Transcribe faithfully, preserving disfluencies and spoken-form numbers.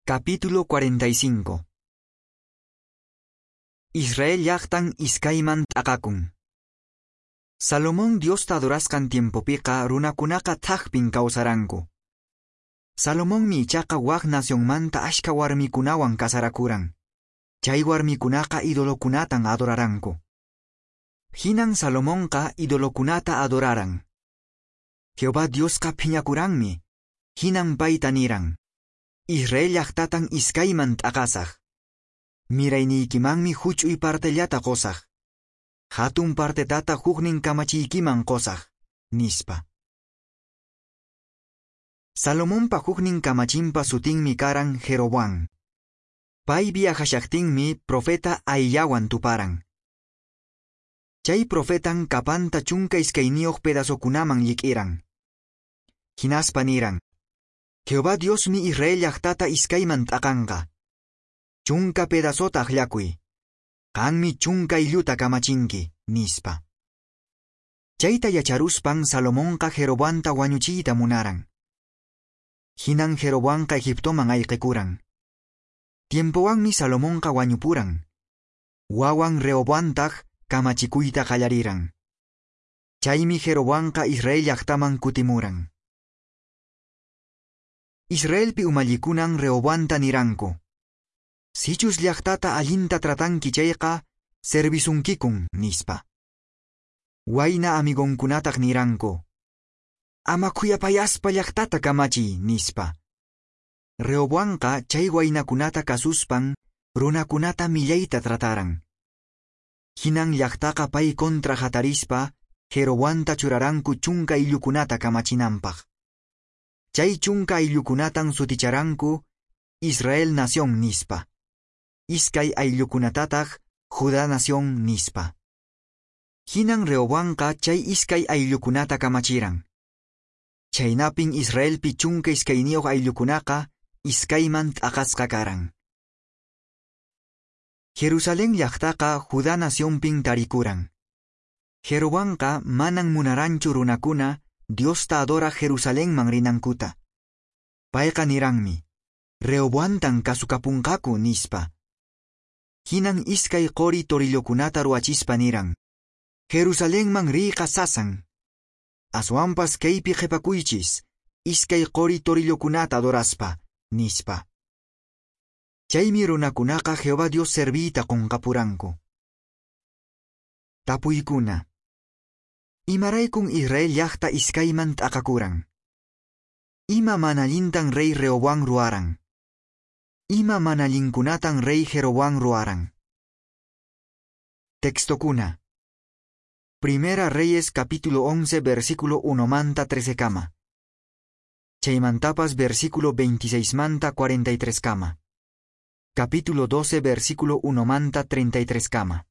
Capítulo cuarenta y cinco. Israel llaqtan iskayman t'aqakun. Salomón Diosta adorasqan tiempopiqa runakunaqa thakpin kawsaranku. Salomonmi ichaqa wak nacionmanta ashka warmikunawan kasarakuran. Chay warmikunaqa idolokunatan adoraranku. Hinan Salomonqa idolokunata adoraran. Jehová Diosqa phiñakuranmi. Hinan payta niran: "Israel llaqtatan iskayman t'aqasaq. Mirayniykimanmi huch'uy partellata qusaq. Hatun partetataq huknin kamachiykiman qusaq", nispa. Salomonpa huknin kamachinpa sutinmi karan Jeroboam. Pay viajashaqtinmi profeta Ahiyawan tuparan. Chay profetan capanta chunka iskayniyuq pedazokunaman llik'iran. Hinaspa niran: "Jehová Diosmi Israel llaqtata iskayman t'aqanqa. Chunka pedazota akllakuy. Qanmi chunka aylluta kamachinki", nispa. Chayta yacharuspan Salomonqa Jeroboamta wañuchiyta munaran. Hinan Jeroboamqa Egiptoman ayqikuran. Tiempowanmi Salomonqa wañupuran. Wawan Rehoboamtaq kamachikuyta qallariran. Chaymi Jeroboamqa Israel llaqtaman kutimuran. Israelpi umallikunan Rehoboamta niranku: "Sichus llaqtata allinta tratanki chayqa, servisunkikun", nispa. Wayna amigonkunataq niranku: "Ama khuyapayaspa llaqtata kamachiy", nispa. Rehoboamqa chay waynakunata kasuspan runakunata millayta trataran. Hinan llaqtaqa pay contra hatarispa Jeroboamta churaranku chunka ayllukunata kamachinanpaq. Chay chunka ayllukunatan suticharanku Israel nación nispa. Iskay ayllukunatataq Judá nación nispa. Hinan Rehoboamqa chay iskay ayllukunata kamachiran. Chhaynapin Israelpi chunka iskayniyuq ayllukunaqa iskayman t'aqasqa karan. Jerusalén llaqtaqa Judá nacionpin tarikuran. Jeroboamqa manan munaranchu runakuna Diosta adoraq Jerusalenman rinankuta. Payqa niranmi: "Rehoboamtan kasukapunqaku", nispa. Hinan iskay qori torillokunata ruwachispa niran: "Jerusalenman riyqa sasan. Aswanpas kaypi qhipakuychis, iskay qori torillokunata adoraspa", nispa. Chaymi runakunaqa Jehová Dios serviyta qunqapuranku. Tapuykuna. Imaraykun Israel llaqta iskayman t'aqakuran? Ima mana allintan rey Rehoboam ruwaran? Ima mana allinkunatan rey Jeroboam ruwaran? Textokuna. Primera Reyes capítulo once versículo uno manta trece kama. Chaymantapas versículo veintiséis manta cuarenta y tres kama. Capítulo doce versículo uno manta treinta y tres kama.